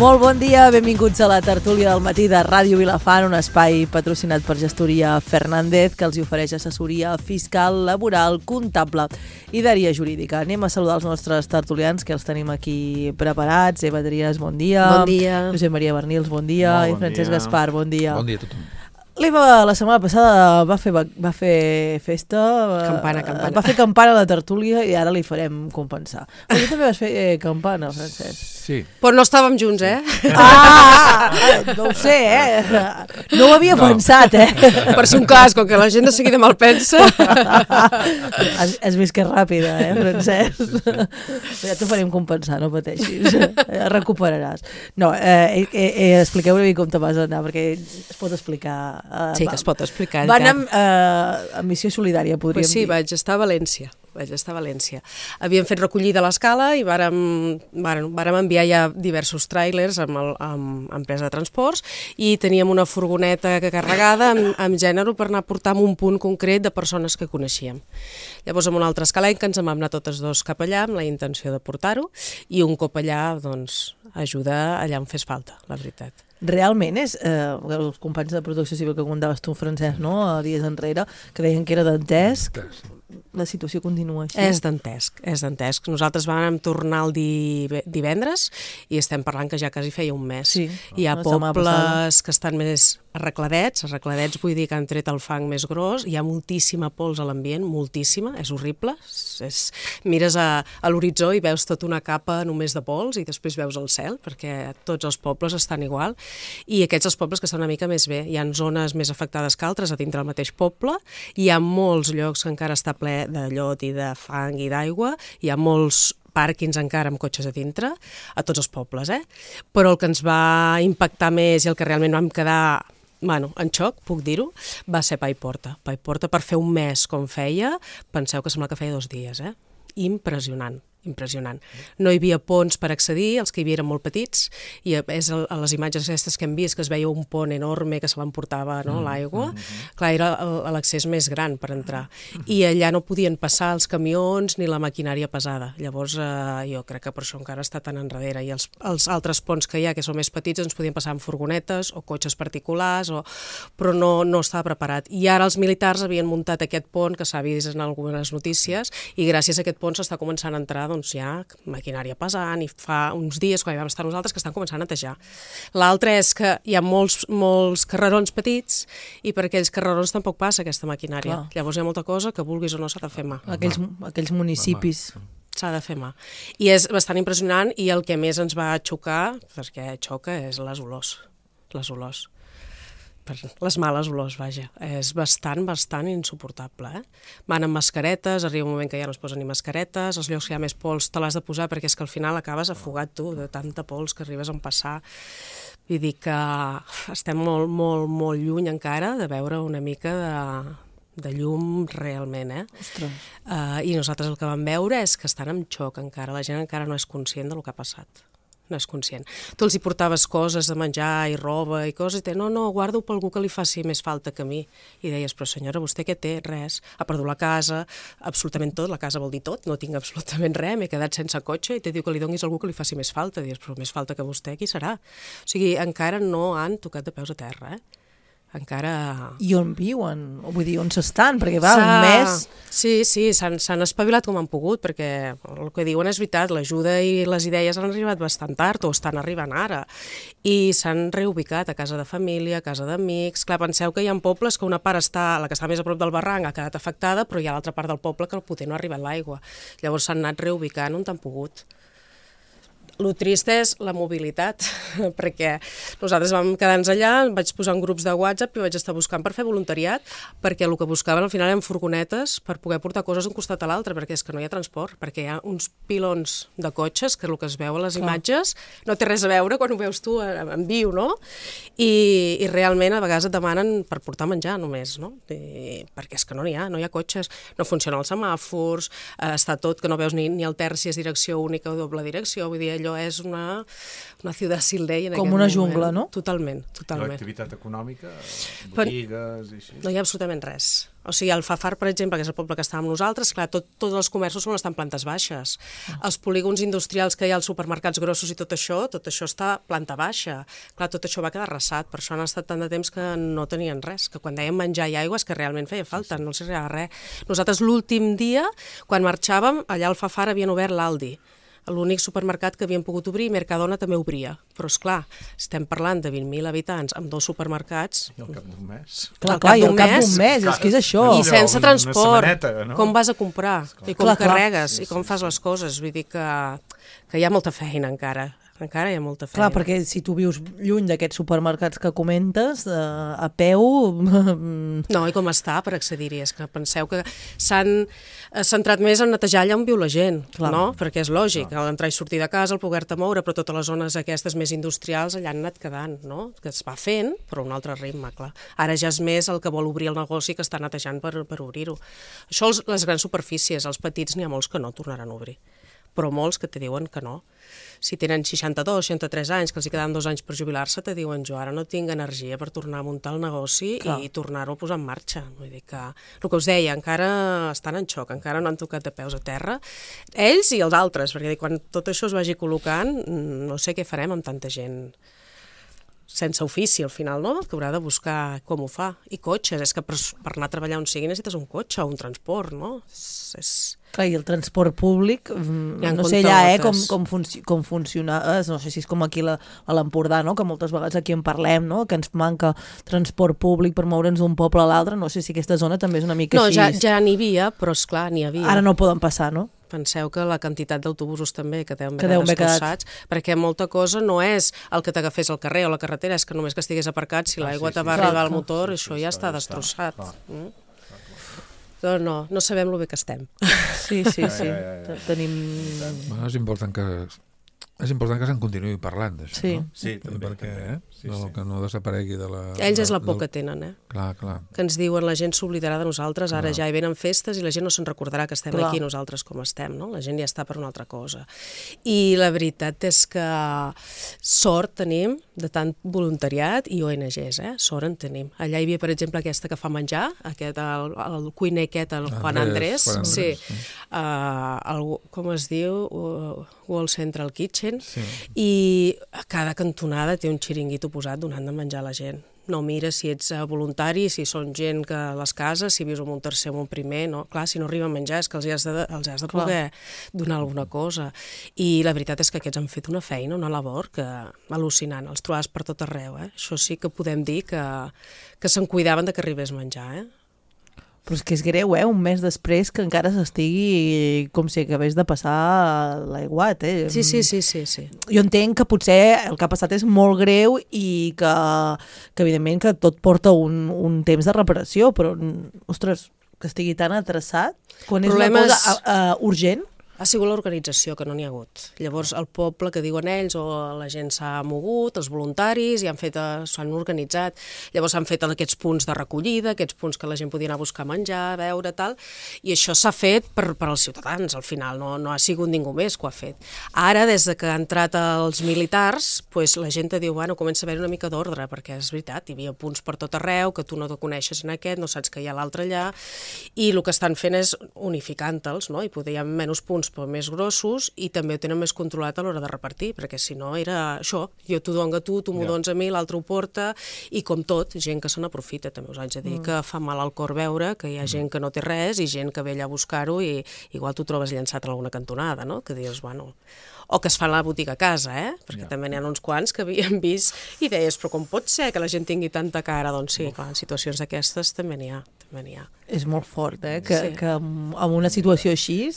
Molt bon dia, benvinguts a la tertúlia del matí de Ràdio Vilafant, un espai patrocinat per Gestoria Fernández que els ofereix assessoria fiscal, laboral, comptable i d'àrea jurídica. Anem a saludar els nostres tertulians que els tenim aquí preparats. Eva Trias, bon dia. Bon dia. Josep Maria Bernils, bon dia. Bon I Francesc dia. Gaspar, bon dia. Bon dia a tothom. L'Eva la setmana passada va fer festa, Campana. va fer campana a la tertúlia i ara li farem compensar. Però tu també vas fer campana, Francesc. Sí. Però no estàvem junts, eh? No ho sé, no ho havia pensat, Per si un cas, com que la gent de seguida me'l pensa. Has vist que és ràpida, Francesc? Ja t'ho farem compensar, no pateixis. Recuperaràs. No, expliqueu una mica com te vas anar, perquè es pot explicar. Sí, que es pot explicar. Va anar amb missió solidària, podríem dir. Sí, vaig estar a València. Havíem fet recollida a l'escala i vàrem enviar ja diversos tràilers amb empresa de transports i teníem una furgoneta carregada amb gènere per anar a portar a un punt concret de persones que coneixíem. Llavors, amb una altra escalenca ens en vam anar totes dos cap allà amb la intenció de portar-ho i un cop allà, doncs, ajudar allà on fes falta, la veritat. Realment és, els companys de Protecció Civil que contaves tu, Francesc, no?, dies enrere, que deien que era dantesc, la situació continua així. És dantesc. Nosaltres vam tornar el divendres i estem parlant que ja quasi feia un mes. Sí, hi ha pobles que estan més arregladets vull dir que han tret el fang més gros, hi ha moltíssima pols a l'ambient, moltíssima, és horrible, mires a l'horitzó i veus tota una capa només de pols i després veus el cel, perquè tots els pobles estan igual, i aquests els pobles que estan una mica més bé, hi ha zones més afectades que altres a dintre del mateix poble, hi ha molts llocs que encara està ple de llot i de fang i d'aigua, hi ha molts pàrquings encara amb cotxes a dintre, a tots els pobles, però el que ens va impactar més i el que realment vam quedar en xoc, puc dir-ho, va ser Paiporta. Paiporta per fer un mes com feia, penseu que sembla que feia 2 dies, Impressionant. No hi havia ponts per accedir, els que hi havia eren molt petits, i és a les imatges aquestes que hem vist que es veia un pont enorme que se l'emportava l'aigua, clar, era l'accés més gran per entrar, i allà no podien passar els camions ni la maquinària pesada, llavors jo crec que per això encara està tan enrere, i els altres ponts que hi ha, que són més petits, ens podien passar amb furgonetes o cotxes particulars, però no estava preparat, i ara els militars havien muntat aquest pont que s'ha vist en algunes notícies, i gràcies a aquest pont s'està començant a entrar doncs ja maquinària pesant, i fa uns dies quan hi vam estar nosaltres que estan començant a netejar. L'altre és que hi ha molts carrerons petits i per aquells carrerons tampoc passa aquesta maquinària. Clar. Llavors hi ha molta cosa que vulguis o no s'ha de fer mà. Aquells municipis. S'ha de fer mà. I és bastant impressionant, i el que més ens va xocar, perquè xoca, és les olors. Les males olors, vaja. És bastant insuportable, Van amb mascaretes, arriba un moment que ja no es posen ni mascaretes, els llocs que hi ha més pols te l'has de posar perquè és que al final acabes afogat tu de tanta pols que arribes a empassar. Vull dir que estem molt lluny encara de veure una mica de llum realment, Ostres. I nosaltres el que vam veure és que estan en xoc encara, la gent encara no és conscient del que ha passat. No és conscient. Tu els hi portaves coses de menjar i roba i coses, i no, guardo per algú que li faci més falta que a mi. I deies, però senyora, vostè què té? Res. Ha perdut la casa, absolutament tot, la casa vol dir tot, no tinc absolutament res, m'he quedat sense cotxe, i te diu que li donis a algú que li faci més falta. Dius, però més falta que vostè, qui serà? O sigui, encara no han tocat de peus a terra, encara... I on viuen? Vull dir, on s'estan? Perquè va, un mes... Sí, s'han espavilat com han pogut, perquè el que diuen és veritat, l'ajuda i les idees han arribat bastant tard, o estan arribant ara, i s'han reubicat a casa de família, a casa d'amics. Clar, penseu que hi ha pobles que una part la que està més a prop del barranc ha quedat afectada, però hi ha l'altra part del poble que potser no ha arribat l'aigua. Llavors s'han anat reubicant on han pogut. El trist és la mobilitat, perquè nosaltres vam quedar-nos allà, vaig posar en grups de WhatsApp i vaig estar buscant per fer voluntariat, perquè el que buscaven al final eren furgonetes per poder portar coses d'un costat a l'altre, perquè és que no hi ha transport, perquè hi ha uns pilons de cotxes, que és el que es veu a les imatges, no té res a veure quan ho veus tu en viu, no? I realment a vegades et demanen per portar menjar només, no? Perquè és que no n'hi ha, no hi ha cotxes, no funcionen els semàfors, està tot que no veus ni el terç si és direcció única o doble direcció, vull dir, allò allò és una ciutat Sildei en com aquest una moment. jungla, no? Totalment. L'activitat econòmica, botigues i així. No hi ha absolutament res. O sigui, el Fafar, per exemple, que és el poble que està amb nosaltres, clar, tots els comerços són estan plantes baixes. Els polígons industrials que hi ha als supermercats grossos i tot això està planta baixa. Clar, tot això va quedar arrasat, per això han estat tant de temps que no tenien res, que quan dèiem menjar i aigua és que realment feia falta, no els arribava res. Nosaltres l'últim dia, quan marxàvem, allà al Fafar havien obert l'Aldi, l'únic supermercat que havien pogut obrir, i Mercadona també obria. Però, esclar, estem parlant de 20.000 habitants amb 2 supermercats. I al cap d'un mes. Clar, i al cap d'un mes, és que és això. I sense transport, no? com vas a comprar, i com carregues, i com fas les coses. Vull dir que hi ha molta feina encara hi ha molta feina. Clar, perquè si tu vius lluny d'aquests supermercats que comentes, a peu... No, i com està per accedir-hi? És que penseu que s'han centrat més en netejar allà on viu la gent, no? Perquè és lògic, l'entrar i sortir de casa, el poder-te moure, però totes les zones aquestes més industrials allà han anat quedant, no? Que es va fent, però un altre ritme, clar. Ara ja és més el que vol obrir el negoci que està netejant per obrir-ho. Això, les grans superfícies, els petits, n'hi ha molts que no tornaran a obrir, però molts que te diuen que no. Si tenen 62, 63 anys, que els hi queden 2 anys per jubilar-se, te diuen jo ara no tinc energia per tornar a muntar el negoci i tornar-ho a posar en marxa. Vull dir que, el que us deia, encara estan en xoc, encara no han tocat de peus a terra, ells i els altres, perquè quan tot això es vagi col·locant, no sé què farem amb tanta gent sense ofici, al final, no? Que haurà de buscar com ho fa. I cotxes, és que per anar a treballar on sigui necessites un cotxe o un transport, no? Clar, i el transport públic, no sé allà com funciona, no sé si és com aquí a l'Empordà, no? Que moltes vegades aquí en parlem, no? Que ens manca transport públic per moure'ns d'un poble a l'altre, no sé si aquesta zona també és una mica així. No, ja n'hi havia, però esclar, n'hi havia. Ara no poden passar, no? Penseu que la quantitat d'autobusos també que deuen haver destrossats, perquè molta cosa no és el que t'agafés al carrer o la carretera, és que només que estigués aparcat, si l'aigua te va arribar al motor, això ja està destrossat. No sabem lo bé que estem. Sí. Tenim... És important que se'n continuï parlant d'això, no? Sí, també. Que no desaparegui de la... Ells és la por que tenen, Clar. Que ens diuen la gent s'oblidarà de nosaltres, ara ja hi venen festes i la gent no se'n recordarà que estem aquí nosaltres com estem, no? La gent ja està per una altra cosa. I la veritat és que sort tenim de tant voluntariat i ONGs, sort en tenim. Allà hi havia, per exemple, aquesta que fa menjar, el cuiner aquest, el Juan Andrés, com es diu? World Central Kitchen, i a cada cantonada té un xiringuito posat donant de menjar a la gent. No mira si ets voluntari, si són gent que a les cases, si vius en un tercer o un primer, no? Clar, si no arriba a menjar és que els has de poder donar alguna cosa. I la veritat és que aquests han fet una feina, una labor que al·lucinant, els trobes per tot arreu. Això sí que podem dir que se'n cuidaven de que arribés menjar, Però és que és greu, un mes després que encara s'estigui com si acabés de passar l'aiguat, Sí. Jo entenc que potser el que ha passat és molt greu i que evidentment que tot porta un temps de reparació, però, ostres, que estigui tan atreçat, quan és una cosa urgent... Ha sigut l'organització, que no n'hi ha hagut. Llavors, el poble que diuen ells, o la gent s'ha mogut, els voluntaris, i s'han organitzat. Llavors s'han fet aquests punts de recollida, aquests punts que la gent podia anar a buscar menjar, beure, tal, i això s'ha fet per als ciutadans, al final, no ha sigut ningú més que ho ha fet. Ara, des que han entrat els militars, la gent te diu, comença a haver una mica d'ordre, perquè és veritat, hi havia punts per tot arreu, que tu no te coneixes en aquest, no saps que hi ha l'altre allà, i el que estan fent és unificant-te'ls, no? I poder hi ha menys punts però més grossos i també ho tenen més controlat a l'hora de repartir, perquè si no era això, jo t'ho dono a tu m'ho dones a mi, l'altre ho porta, i com tot, gent que se n'aprofita, també us haig de dir que fa mal al cor veure que hi ha gent que no té res i gent que ve allà a buscar-ho i igual t'ho trobes llançat a alguna cantonada, no? Que dius, o que es fan a la botiga a casa, perquè també n'hi ha uns quants que havíem vist i deies, però com pot ser que la gent tingui tanta cara? Doncs sí, clar, en situacions d'aquestes també n'hi ha. És molt fort, que en una situació així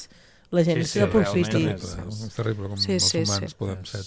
la gent s'aprofiti. És terrible com els humans podem ser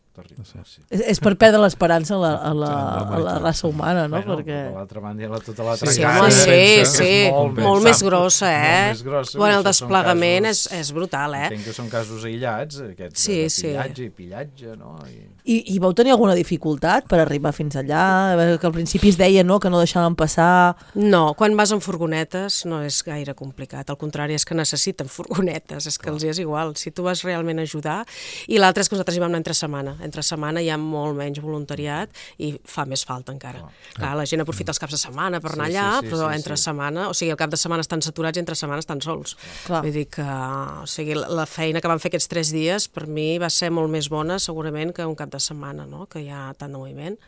Terrible, sí. És per perdre l'esperança a la raça humana, no? Bueno, Perquè... per l'altra banda hi ha tota l'altra Sí, cara. home, que és sí. Molt més grossa, Molt més grossa. Bueno, el Això són desplegament casos- és brutal, Entenc que són casos aïllats, aquests Sí, de sí. pillatge, no? I vau tenir alguna dificultat per arribar fins allà? A veure, que al principi es deia, no?, que no deixaven passar... No, quan vas en furgonetes no és gaire complicat, al contrari, és que necessiten furgonetes, és que els hi és igual, si tu vas realment a ajudar. I l'altre és que nosaltres hi vam anar entre setmana hi ha molt menys voluntariat i fa més falta encara. Clar, la gent aprofita els caps de setmana per anar allà, però entre setmana, o sigui, el cap de setmana estan saturats i entre setmana estan sols. Clar. Vull dir que, o sigui, la feina que vam fer aquests 3 dies per mi va ser molt més bona segurament que un cap de setmana, no?, que hi ha tant de moviment.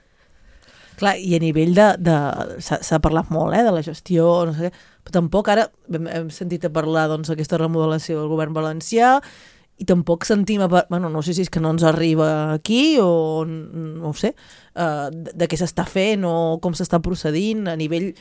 Clar, i a nivell s'ha parlat molt, de la gestió, no sé què, però tampoc ara hem sentit a parlar d'aquesta remodelació del govern valencià i tampoc sentim, bueno, no sé si és que no ens arriba aquí o no ho sé, de què s'està fent o com s'està procedint a nivell,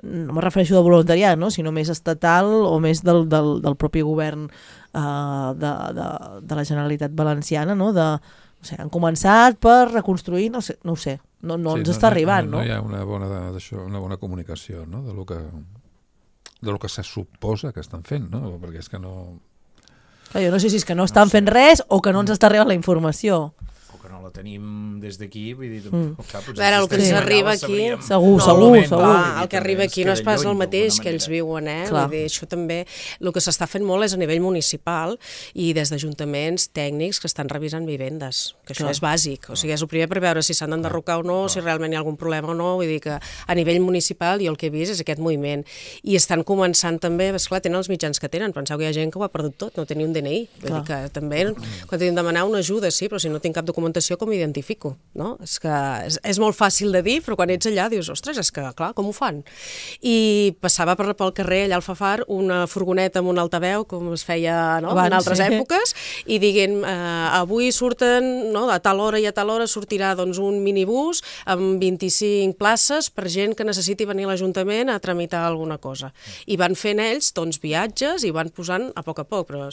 no me refereixo de voluntariat, no?, sinó més estatal o més del propi govern de la Generalitat Valenciana, no?, no sé, han començat per reconstruir, no ho sé, no ens està arribant, no? No hi ha una bona comunicació, no?, de lo que se suposa que estan fent, no?, perquè és que no... Clar, jo no sé si és que no estan fent res o que no ens està arribant la informació. O que no la tenim des d'aquí, vull dir... A veure, el que ens arriba aquí... Segur. El que arriba aquí no és pas el mateix que ells viuen, Clar. Vull dir, això també... El que s'està fent molt és a nivell municipal i des d'ajuntaments tècnics que estan revisant vivendes, que això és bàsic. O sigui, és el primer per veure si s'han d'enderrocar o no, si realment hi ha algun problema o no. Vull dir que a nivell municipal jo el que he vist és aquest moviment. I estan començant també, esclar, tenen els mitjans que tenen. Penseu que hi ha gent que ho ha perdut tot, no té ni un DNI. Vull dir que també, quan tenim de demanar una ajuda, sí, però si no tinc cap documentació, com m'identifico, no? És que és molt fàcil de dir, però quan ets allà dius, ostres, és que, clar, com ho fan? I passava pel carrer, allà al Fafar, una furgoneta amb un altaveu, com es feia en altres èpoques, i diguin, avui surten, no, a tal hora i a tal hora sortirà doncs, un minibús amb 25 places per gent que necessiti venir a l'Ajuntament a tramitar alguna cosa. I van fent ells doncs, viatges i van posant a poc, però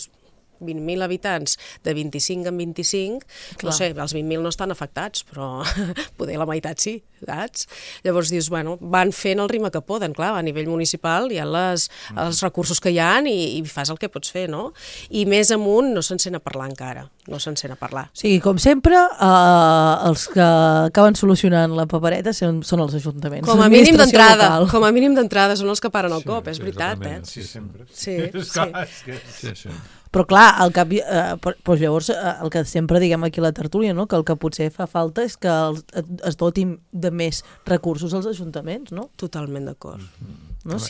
20.000 habitants de 25 en 25, no sé, els 20.000 no estan afectats, però poder la meitat sí, saps? Llavors dius, bueno, van fent el ritme que poden, clar, a nivell municipal hi ha els recursos que hi ha i fas el que pots fer, no? I més amunt no se'n sent a parlar encara, no se'n sent a parlar. O sigui, com sempre, els que acaben solucionant la papereta són els ajuntaments. Com a mínim d'entrada són els que paren el cop, és veritat, Sí, sempre. Sí. Però clar, doncs llavors el que sempre diguem aquí a la tertúlia, no? Que el que potser fa falta és que es dotin de més recursos als ajuntaments, no? Totalment d'acord. No?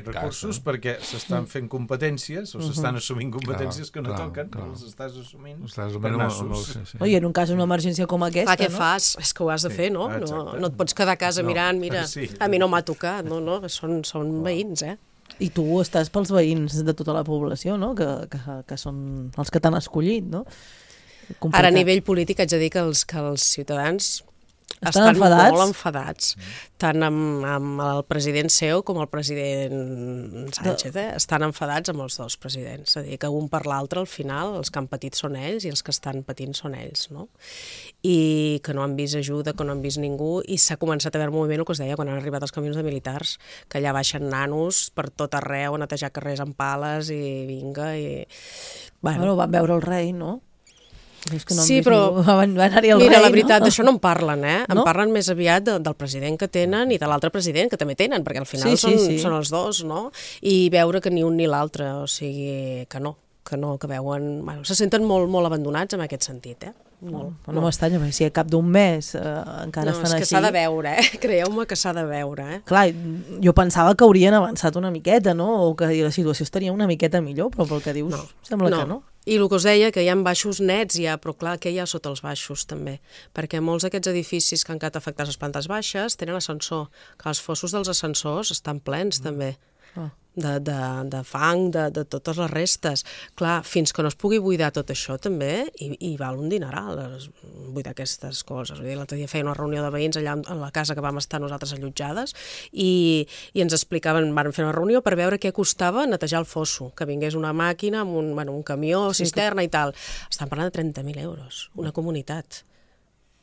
Recursos perquè s'estan fent competències o s'estan assumint competències que no toquen, els estàs assumint per nassos. I en un cas d'una emergència com aquesta, què fas? És que ho has de fer, no? No et pots quedar a casa mirant, mira, a mi no m'ha tocat, no, són veïns, I tu estàs pels veïns de tota la població, no? Que són els que t'han escollit, no? Complicat. Ara, a nivell polític, haig de dir que els ciutadans estan enfadats? Molt enfadats, tant amb el president seu com el president Sánchez, estan enfadats amb els dos presidents, és a dir, que un per l'altre al final els que han patit són ells i els que estan patint són ells, no? I que no han vist ajuda, que no han vist ningú, i s'ha començat a veure moviment, el que us deia, quan han arribat els camions de militars, que allà baixen nanos per tot arreu, a netejar carrers amb pales i vinga, i... Bueno, van veure el rei, no? Sí, però mira, la veritat, d'això no en parlen, en parlen més aviat del president que tenen i de l'altre president que també tenen, perquè al final són els dos, no? I veure que ni un ni l'altre, o sigui, que veuen... Bueno, se senten molt abandonats en aquest sentit, No m'estranya, perquè si a cap d'un mes encara estan així... No, és que s'ha de veure, creieu-me que s'ha de veure, Clar, jo pensava que haurien avançat una miqueta, no? O que la situació estaria una miqueta millor, però pel que dius sembla que no. I el que us deia, que hi ha baixos nets ja, però clar, què hi ha sota els baixos també? Perquè molts d'aquests edificis que han quedat afectats a les plantes baixes tenen ascensor, que els fossos dels ascensors estan plens també. de fang, de totes les restes. Clar, fins que no es pugui buidar tot això també, i val un dineral buidar aquestes coses. Vull dir, l'altre dia feia una reunió de veïns allà a la casa que vam estar nosaltres allotjades i ens explicaven, van fer una reunió per veure què costava netejar el fosso, que vingués una màquina amb un camió, cisterna i tal. Estan parlant de 30.000 euros, una comunitat.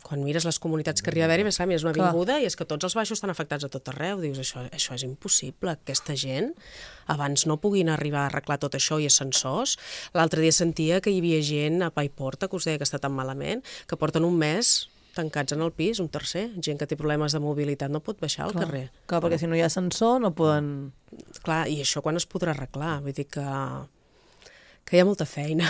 Quan mires les comunitats que arriba a haver-hi, és una avinguda i és que tots els baixos estan afectats a tot arreu. Dius, això és impossible. Aquesta gent, abans no puguin arribar a arreglar tot això i ascensors. L'altre dia sentia que hi havia gent a Paiporta, que us deia que està tan malament, que porten un mes tancats en el pis, un tercer. Gent que té problemes de mobilitat no pot baixar al carrer. Clar, perquè si no hi ha ascensor no poden... Clar, i això quan es podrà arreglar? Vull dir que hi ha molta feina,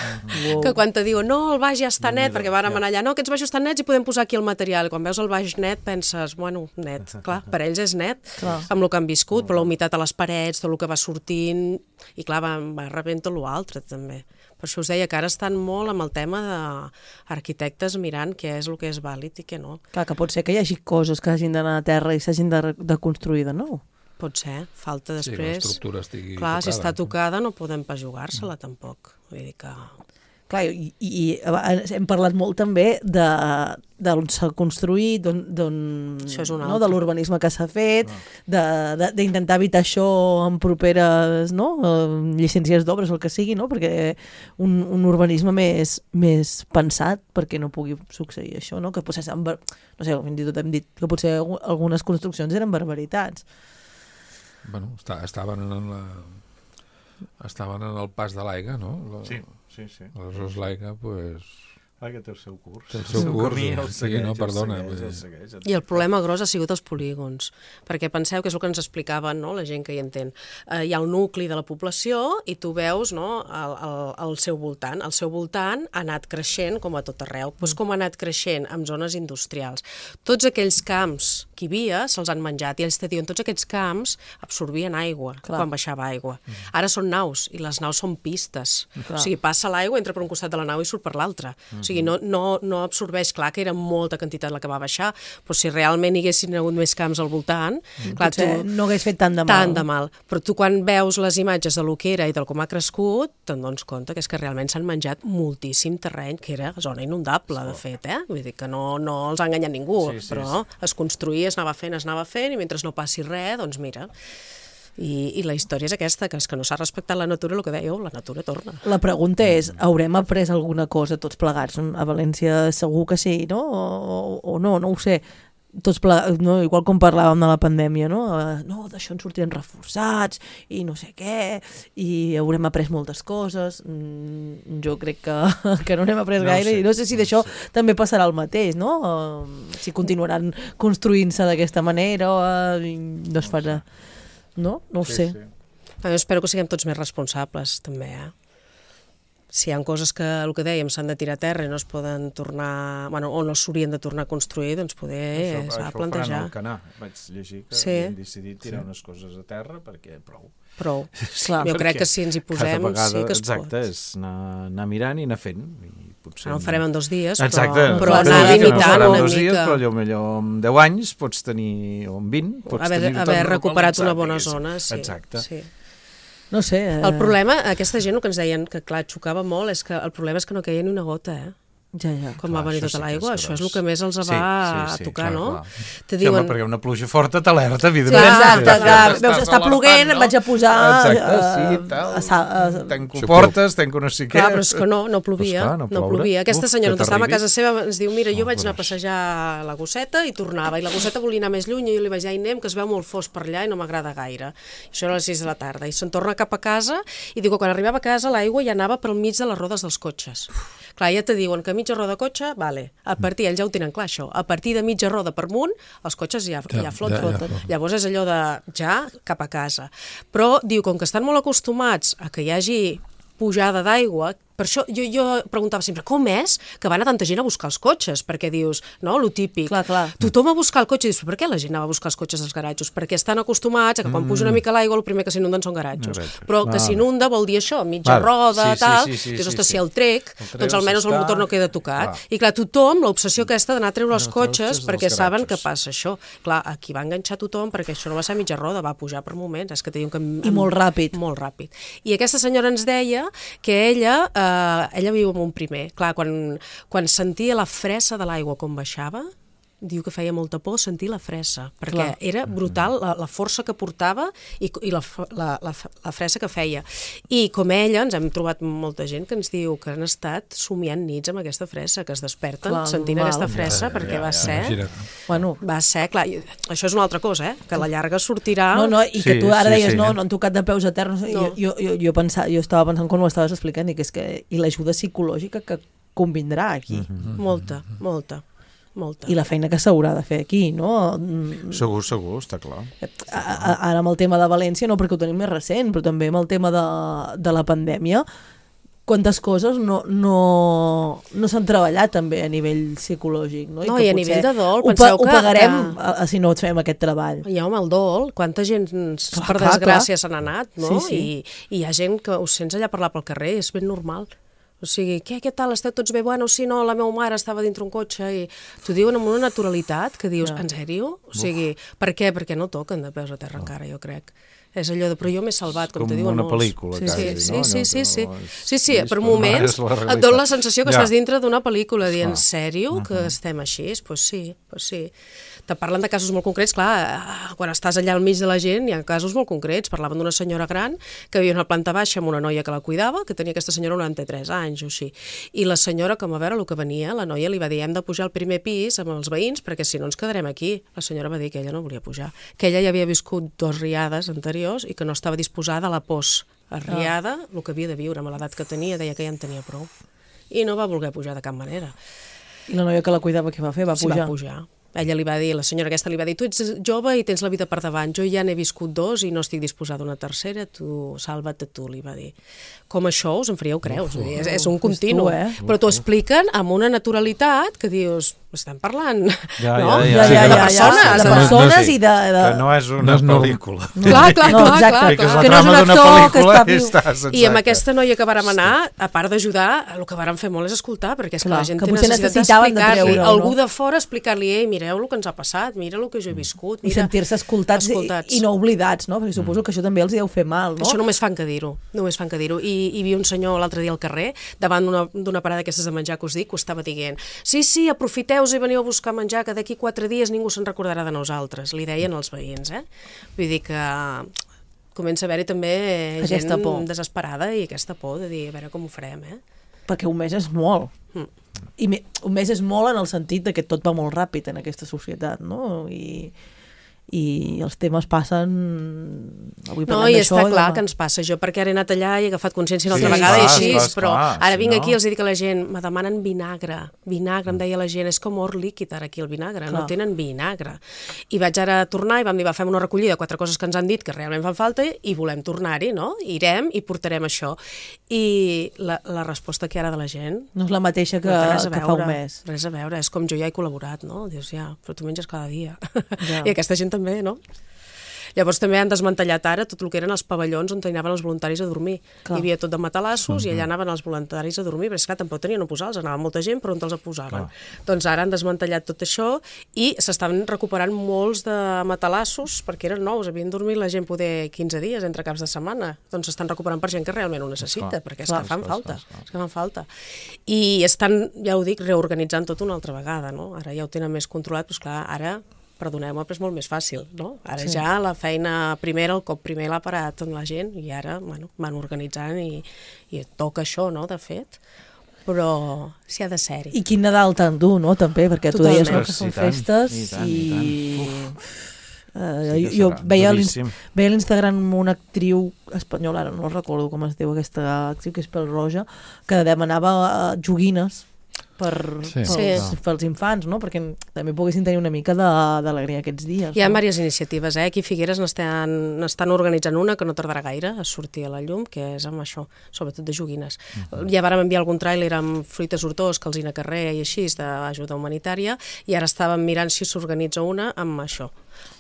que quan te diuen no, el baix ja està net, perquè vàrem anar allà, no, aquests baixos estan nets i podem posar aquí el material. Quan veus el baix net penses, bueno, net, clar, per ells és net, amb el que han viscut, però la humitat a les parets, tot el que va sortint, i clar, va rebent tot l'altre també. Per això us deia que ara estan molt amb el tema d'arquitectes mirant què és el que és vàlid i què no. Clar, que pot ser que hi hagi coses que hagin d'anar a terra i s'hagin de construir de nou. Pot ser, falta després... Sí, l'estructura estigui clar, tocada. Si està tocada no podem pas jugar-se-la tampoc. Vull dir que... Clar, i hem parlat molt també d'on s'ha construït, de l'urbanisme que s'ha fet, d'intentar evitar això en properes llicències d'obres o el que sigui, no? Perquè un urbanisme més pensat perquè no pugui succeir això, no? Que potser, no sé, fins i tot hem dit que potser algunes construccions eren barbaritats. Bueno, estaven en el pas de l'aigua, no? Sí. Aleshores l'aigua, doncs... Que té el seu curs. Té el seu curs, sí, no, perdona. I el problema gros ha sigut els polígons, perquè penseu que és el que ens explicaven la gent que hi entén. Hi ha el nucli de la població i tu veus el seu voltant. El seu voltant ha anat creixent com a tot arreu. Doncs com ha anat creixent en zones industrials. Tots aquells camps que hi havia se'ls han menjat i ells te diuen tots aquests camps absorbien aigua quan baixava aigua. Ara són naus i les naus són pistes. O sigui, passa l'aigua, entra per un costat de la nau i surt per l'altre. O sigui, no absorbeix, clar que era molta quantitat la que va baixar, però si realment hi haguessin hagut més camps al voltant, clar, no hagués fet tant de mal. Però tu quan veus les imatges de lo que era i del com ha crescut, te'n dones compte que és que realment s'han menjat moltíssim terreny, que era zona inundable, de fet, Vull dir que no els ha enganyat ningú, però es construïa, es anava fent, i mentre no passi res, doncs mira... I la història és aquesta, que és que no s'ha respectat la natura, el que dèieu, la natura torna. La pregunta és, haurem après alguna cosa tots plegats? A València segur que sí, no? O no ho sé. Tots plegats, igual com parlàvem de la pandèmia, no, d'això en sortirem reforçats i no sé què, i haurem après moltes coses. Jo crec que no n'hem après gaire i no sé si d'això també passarà el mateix, no? Si continuaran construint-se d'aquesta manera o no es farà... No ho sé. Jo espero que siguem tots més responsables, també, Si hi ha coses que, el que dèiem, s'han de tirar a terra i no es poden tornar... o no s'haurien de tornar a construir, doncs poder s'ha de plantejar. Això ho faran al Canà. Vaig llegir que havien decidit tirar unes coses a terra perquè prou. Clar, jo crec que si ens hi posem sí que es pot. Exacte, és anar mirant i anar fent. No ho farem en 2 dies, però anar limitant una mica. Però potser en 10 anys pots tenir, o en 20, pots tenir... Haver recuperat una bona zona, sí. Exacte. No sé... El problema, aquesta gent, el que ens deien, que clar, xocava molt, és que el problema és que no queia ni una gota, Com va venir tota l'aigua, això és el que més els va tocar, no? Te diuen... Sí, perquè una pluja forta t'alerta, evidentment. Exacte, veus, està ploguent, em vaig a posar... Tanco portes, tanco no sé què... Clar, però és que no plovia, no plovia. Aquesta senyora, on estava a casa seva, ens diu, mira, jo vaig anar a passejar la gosseta i tornava, i la gosseta volia anar més lluny, i jo li vaig dir, anem, que es veu molt fosc per allà i no m'agrada gaire. Això era a les 6 de la tarda, i se'n torna cap a casa, i diu que quan arribava a casa l'aigua ja anava pel mig de les rodes dels cotxes. Clar, ja te diuen que mitja roda de cotxe, vale. Ells ja ho tenen clar, això. A partir de mitja roda per amunt, els cotxes ja floten. Llavors és allò de ja cap a casa. Però diu, com que estan molt acostumats a que hi hagi pujada d'aigua, Per això jo preguntava sempre, com és que va anar tanta gent a buscar els cotxes? Perquè dius, no, lo típic. Clar. Tothom va a buscar el cotxe i dius, per què la gent anava a buscar els cotxes als garatjos? Perquè estan acostumats a que quan puja una mica l'aigua el primer que s'inunden són garatjos. Però que s'inunda vol dir això, mitja roda, tal. Dius, ostres, si el trec, doncs almenys el motor no queda tocat. I clar, tothom, l'obsessió aquesta d'anar a treure els cotxes perquè saben que passa això. Clar, aquí va enganxar tothom perquè això no va ser mitja roda, va pujar per moments. És que té un camí... I molt ràpid. Molt ràpid. I aquesta senyora ens deia que ella viu en un primer. Clar, quan sentia la fressa de l'aigua com baixava, diu que feia molta por sentir la fressa, perquè era brutal la força que portava i la fressa que feia. I com ella, ens hem trobat molta gent que ens diu que han estat somiant nits amb aquesta fressa, que es desperten sentint aquesta fressa, perquè va ser... Va ser, clar, això és una altra cosa, que a la llarga sortirà... No, i que tu ara deies, no han tocat de peus a terra. Jo estava pensant quan ho estaves explicant, i que és que l'ajuda psicològica que convindrà aquí. Molta. I la feina que s'haurà de fer aquí, no? Segur, està clar. Ara amb el tema de València, no perquè ho tenim més recent, però també amb el tema de la pandèmia, quantes coses no s'han treballat també a nivell psicològic, no? I a nivell de dol, penseu que... Ho pagarem si no fem aquest treball. Ja, home, el dol, quanta gent per desgràcia se n'ha anat, no? I hi ha gent que ho sents allà parlar pel carrer, és ben normal. O sigui, què tal, esteu tots bé? Bueno, sí, no, la meva mare estava dintre un cotxe i t'ho diuen amb una naturalitat que dius, en sèrio? O sigui, per què? Perquè no toquen de peus a terra encara, jo crec. És allò de, però jo m'he salvat, com te diuen molts. Com una pel·lícula, quasi, no? Sí, per moments et dona la sensació que estàs dintre d'una pel·lícula, dient, en sèrio, que estem així? Doncs sí. Te parlen de casos molt concrets, clar, quan estàs allà al mig de la gent hi ha casos molt concrets. Parlaven d'una senyora gran que vivia a una planta baixa amb una noia que la cuidava, que tenia aquesta senyora 93 anys o així. I la senyora, com a veure el que venia, la noia li va dir, hem de pujar al primer pis amb els veïns perquè si no ens quedarem aquí. La senyora va dir que ella no volia pujar, que ella ja havia viscut 2 riades anteriors i que no estava disposada a la post-riada, el que havia de viure amb l'edat que tenia, deia que ja en tenia prou. I no va voler pujar de cap manera. I la noia que la cuidava què va fer? Va pujar? Sí, va pujar. Ella li va dir, la senyora aquesta li va dir, tu ets jove i tens la vida per davant, jo ja n'he viscut 2 i no estic disposada a una tercera, tu salva't tu, li va dir. Com això us en faríeu creus, és un continu, però t'ho expliquen amb una naturalitat que dius, estem parlant de persones i de... Que no és una pel·lícula. Clar. Que no és un actor que està viu. I amb aquesta noia que vàrem anar, a part d'ajudar, el que vàrem fer molt és escoltar, perquè és que la gent té necessitat d'explicar-li, algú de fora explicar-li, mireu el que ens ha passat, mira el que jo he viscut. I sentir-se escoltats i no oblidats, no? Perquè suposo que això també els deu fer mal, no? Això només fan que dir-ho, I hi havia un senyor l'altre dia al carrer, davant d'una parada d'aquestes de menjar que us dic, que ho estava dient, sí, aprofiteu-vos i veniu a buscar menjar, que d'aquí 4 dies ningú se'n recordarà de nosaltres, li deien els veïns, Vull dir que comença a haver-hi també gent desesperada i aquesta por de dir, a veure com ho farem, Perquè un mes és molt. I un mes és molt en el sentit que tot va molt ràpid en aquesta societat, no? I els temes passen... I està clar que ens passa. Jo perquè ara he anat allà i he agafat consciència una altra vegada i així, però ara vinc aquí i els dic a la gent, me demanen vinagre, em deia la gent, és com or líquid ara aquí el vinagre, no tenen vinagre. I vaig ara tornar i vam dir, fem una recollida de 4 coses que ens han dit que realment fan falta i volem tornar-hi, no? Irem i portarem això. I la resposta que ara de la gent... No és la mateixa que fa un mes. Res a veure, és com jo ja he col·laborat, no? Dius, però tu menges cada dia. I aquesta gent també, no? Llavors també han desmantellat ara tot el que eren els pavellons on anaven els voluntaris a dormir. Hi havia tot de matalassos i allà anaven els voluntaris a dormir, però és clar, tampoc tenien on posar-los, anava molta gent, però on els posaven. Doncs ara han desmantellat tot això i s'estaven recuperant molts de matalassos perquè eren nous, havien dormit la gent poder 15 dies entre caps de setmana. Doncs s'estan recuperant per gent que realment ho necessita, perquè és que fan falta. I estan, ja ho dic, reorganitzant tot una altra vegada, no? Ara ja ho tenen més controlat, però clar, ara perdoneu-me, però és molt més fàcil, no? Ara ja la feina primera, el cop primer l'ha parat amb la gent i ara, van organitzant i toca això, no?, de fet, però s'hi ha de ser-hi. I quin Nadal tan dur, no?, també, perquè tu deies que són festes i... Jo veia a l'Instagram una actriu espanyola, ara no recordo com es diu aquesta actriu, que és pèl roja, que demanava joguines pels infants, no? Perquè també poguessin tenir una mica d'alegria aquests dies. Hi ha diverses iniciatives, aquí a Figueres n'estan organitzant una que no tardarà gaire a sortir a la llum, que és amb això, sobretot de joguines. Ja vàrem enviar algun tràiler amb fruites hortós, calzina carrer i així, d'ajuda humanitària, i ara estàvem mirant si s'organitza una amb això,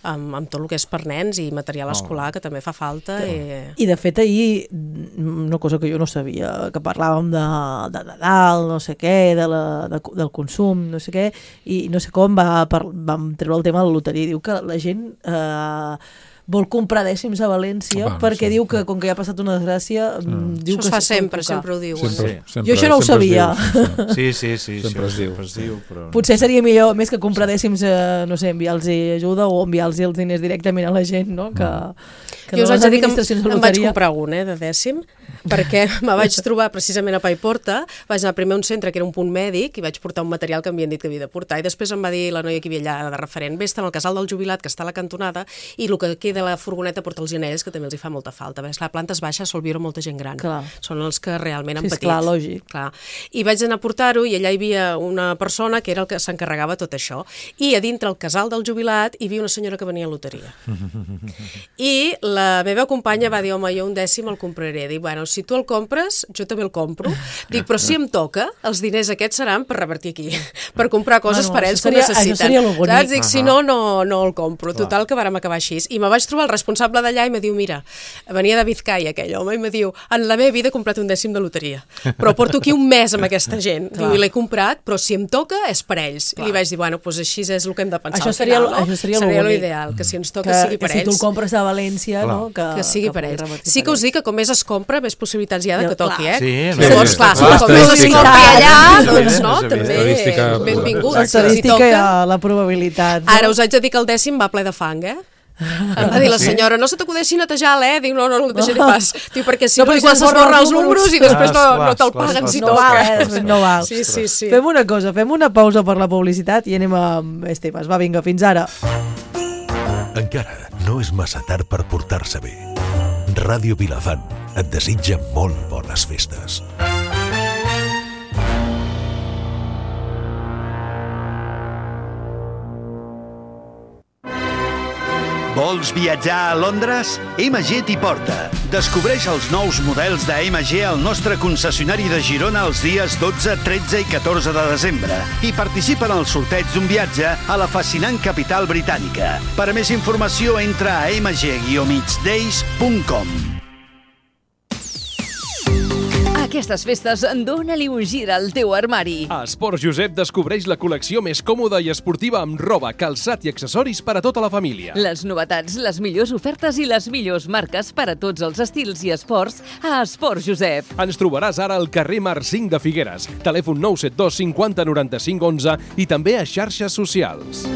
amb tot el que és per nens i material escolar, que també fa falta. I de fet ahir, una cosa que jo no sabia, que parlàvem de Nadal, no sé què, del consum, no sé què, i no sé com vam treure el tema de la loteria. Diu que la gent vol comprar dècims a València perquè diu que, com que ja ha passat una desgràcia... Això es fa sempre ho diu. Jo això no ho sabia. Sí. Sempre es diu. Potser seria millor, més que comprar dècims, no sé, enviar-los ajuda o enviar-los els diners directament a la gent, no? Que jo us haig de dir que em vaig comprar un de dècim, perquè me vaig trobar precisament a Paiporta, vaig anar primer a un centre que era un punt mèdic i vaig portar un material que m'havien dit que havia de portar, i després em va dir la noia que hi havia allà de referent, vés-te'n al casal del jubilat que està a la cantonada i el que queda a la furgoneta porta els anells, que també els hi fa molta falta. Perquè a plantes baixes sol viure molta gent gran. Clar. Són els que realment han patit. Clar, lògic. Clar. I vaig anar a portar-ho i allà hi havia una persona que era el que s'encarregava tot això. I a dintre el casal del jubilat hi havia una senyora que venia a loteria. I la meva companya va dir, home, jo un dècim el compraré. Dic, bueno, si tu el compres, jo també el compro. Dic, però si em toca, els diners aquests seran per revertir aquí, per comprar coses per ells que necessiten. Això seria lo bonic. Dic, si no el compro. Total, que vàrem acabar així. I me vaig trobar el responsable d'allà i me diu, mira, venia de Vizcaya aquell home, i me diu, en la meva vida he comprat un dècim de loteria, però porto aquí un mes amb aquesta gent. Diu, i l'he comprat, però si em toca és per ells. I li vaig dir, bueno, doncs així és el que hem de pensar. Això seria l'ideal, que si ens toca sigui per ells. Que si tu el compres a València, no? Que sigui per ells. Sí que us dic que com més es compra, més possibilitats hi ha de que toqui, eh? Sí, llavors, clar, com més es compri allà, doncs no, també benvingut. Estadística i la probabilitat. Ara us haig de dir que el dècim va ple de fang, eh? Em va dir la senyora, no se t'acudeixi netejar, Dic, no el netejaré pas. Diu, perquè si no igual s'esborra els números i després no te'l paguen si toca. No val. Sí. Fem una cosa, fem una pausa per la publicitat i anem amb Estebas. Va, vinga, fins ara. Encara no és massa tard per portar-se bé. Ràdio Vilafant et desitja molt bones festes. Vols viatjar a Londres? MG t'hi porta. Descobreix els nous models de MG al nostre concessionari de Girona els dies 12, 13 i 14 de desembre i participa en el sorteig d'un viatge a la fascinant capital britànica. Per a més informació entra a mg-days.com. Aquestes festes, dóna-li un gir al teu armari. A Esport Josep descobreix la col·lecció més còmoda i esportiva amb roba, calçat i accessoris per a tota la família. Les novetats, les millors ofertes i les millors marques per a tots els estils i esports a Esport Josep. Ens trobaràs ara al carrer Mar 5 de Figueres, telèfon 972 50 95 11 i també a xarxes socials.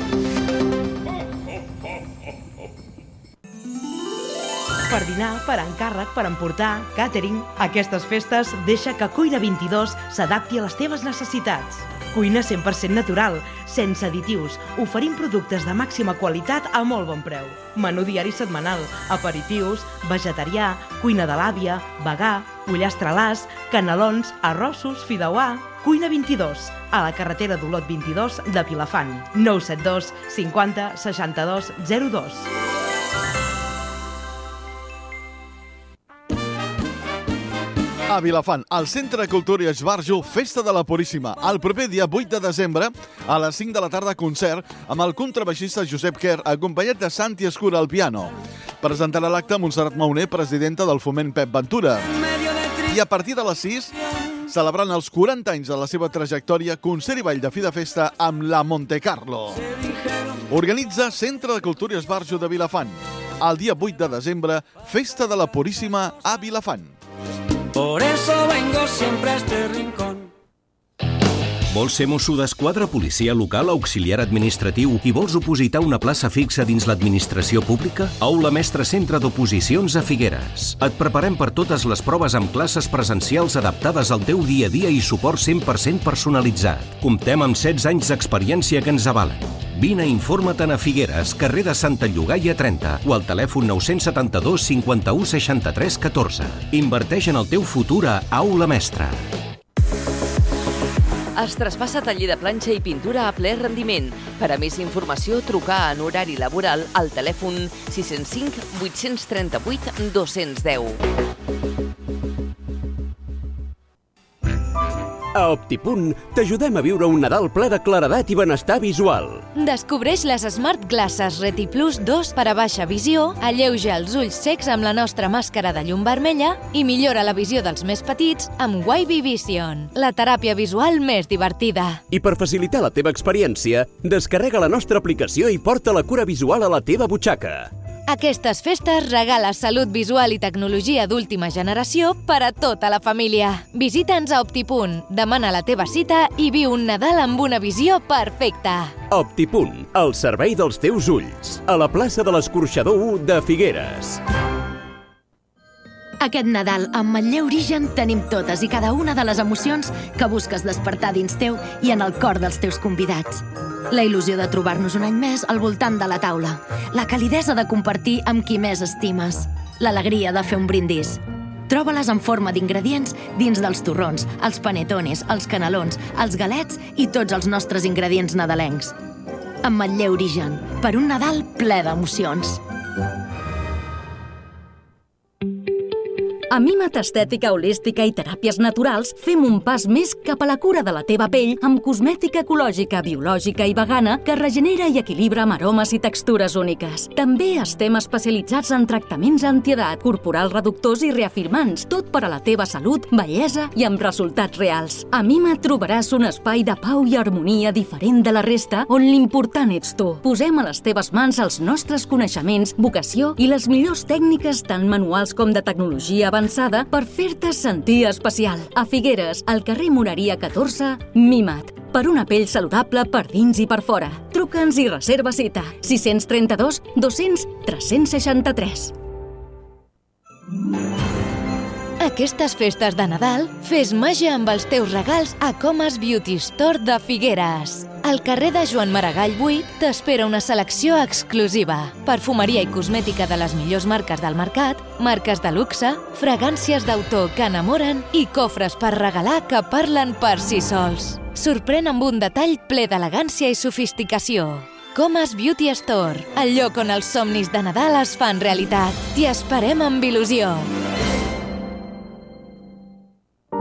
Per dinar, per encàrrec, per emportar, càtering, aquestes festes deixa que Cuina 22 s'adapti a les teves necessitats. Cuina 100% natural, sense additius, oferint productes de màxima qualitat a molt bon preu. Menú diari setmanal, aperitius, vegetarià, cuina de l'àvia, vegà, pollastre-làs, canelons, arrossos, fideuà... Cuina 22, a la carretera d'Olot 22 de Vilafant. 972 50 62 02. A Vilafant, al Centre de Cultura i Esbarjo, Festa de la Puríssima. El proper dia 8 de desembre, a les 5 de la tarda, concert amb el contrabaixista Josep Quer, acompanyat de Santi Escura al piano. Presentarà l'acte Montserrat Mauner, presidenta del Foment Pep Ventura. I a partir de les 6, celebrant els 40 anys de la seva trajectòria, concert i ball de fi de festa amb la Monte Carlo. Organitza Centre de Cultura i Esbarjo de Vilafant. El dia 8 de desembre, Festa de la Puríssima a Vilafant. Por eso vengo siempre a este rincón. Vols ser mosso d'esquadra, policia local, auxiliar administratiu i vols opositar una plaça fixa dins l'administració pública? Aula Mestre Centre d'Oposicions a Figueres. Et preparem per totes les proves amb classes presencials adaptades al teu dia a dia i suport 100% personalitzat. Comptem amb 16 anys d'experiència que ens avalen. Vine i informa-te'n a Figueres, carrer de Santa Llogaia 30 o al telèfon 972 51 63 14. Inverteix en el teu futur a Aula Mestre. Es traspassa taller de planxa i pintura a ple rendiment. Per a més informació, trucar en horari laboral al telèfon 605 838 210. A Optipunt t'ajudem a viure un Nadal ple de claredat i benestar visual. Descobreix les Smart Glasses Reti Plus 2 per a baixa visió, alleuja els ulls secs amb la nostra màscara de llum vermella i millora la visió dels més petits amb Wavy Vision, la teràpia visual més divertida. I per facilitar la teva experiència, descarrega la nostra aplicació i porta la cura visual a la teva butxaca. Aquestes festes regala salut visual i tecnologia d'última generació per a tota la família. Visita'ns a Optipunt, demana la teva cita i viu un Nadal amb una visió perfecta. Optipunt, el servei dels teus ulls. A la plaça de l'Escorxador 1 de Figueres. Aquest Nadal, amb Manlleu Origen, tenim totes i cada una de les emocions que busques despertar dins teu i en el cor dels teus convidats. La il·lusió de trobar-nos un any més al voltant de la taula. La calidesa de compartir amb qui més estimes. L'alegria de fer un brindis. Troba-les en forma d'ingredients dins dels torrons, els panetones, els canelons, els galets i tots els nostres ingredients nadalencs. Amb Manlleu Origen, per un Nadal ple d'emocions. A Mimat Estètica Holística i Teràpies Naturals fem un pas més cap a la cura de la teva pell amb cosmètica ecològica, biològica i vegana que regenera i equilibra amb aromes i textures úniques. També estem especialitzats en tractaments antiedat, corporals reductors i reafirmants, tot per a la teva salut, bellesa i amb resultats reals. A Mimat trobaràs un espai de pau i harmonia diferent de la resta on l'important ets tu. Posem a les teves mans els nostres coneixements, vocació i les millors tècniques tant manuals com de tecnologia avançada per fer-te sentir especial. A Figueres, al carrer Moreria 14, Mimat. Per una pell saludable per dins i per fora. Truca'ns i reserva cita. 632 200 363. Aquestes festes de Nadal, fes màgia amb els teus regals a Comas Beauty Store de Figueres. Al carrer de Joan Maragall 8 t'espera una selecció exclusiva. Perfumeria i cosmètica de les millors marques del mercat, marques de luxe, fragàncies d'autor que enamoren i cofres per regalar que parlen per si sols. Sorprèn amb un detall ple d'elegància i sofisticació. Comas Beauty Store, el lloc on els somnis de Nadal es fan realitat. T'hi esperem amb il·lusió.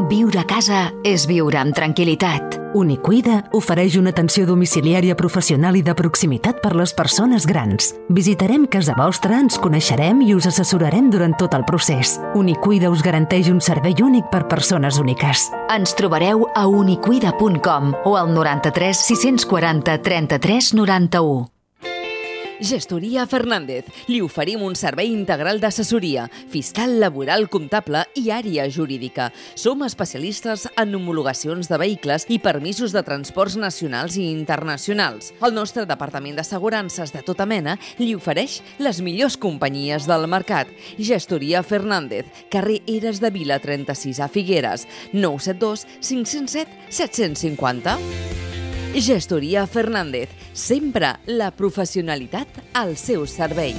Viure a casa és viure amb tranquil·litat. Unicuida ofereix una atenció domiciliària professional i de proximitat per les persones grans. Visitarem casa vostra, ens coneixerem i us assessorarem durant tot el procés. Unicuida us garanteix un servei únic per persones úniques. Ens trobareu a unicuida.com o al 93 640 33 91. Gestoria Fernández. Li oferim un servei integral d'assessoria, fiscal, laboral, comptable i àrea jurídica. Som especialistes en homologacions de vehicles i permisos de transports nacionals i internacionals. El nostre departament d'assegurances de tota mena li ofereix les millors companyies del mercat. Gestoria Fernández, carrer Eres de Vila 36 a Figueres, 972 507 750. Gestoria Fernández, sempre la professionalitat al seu servei.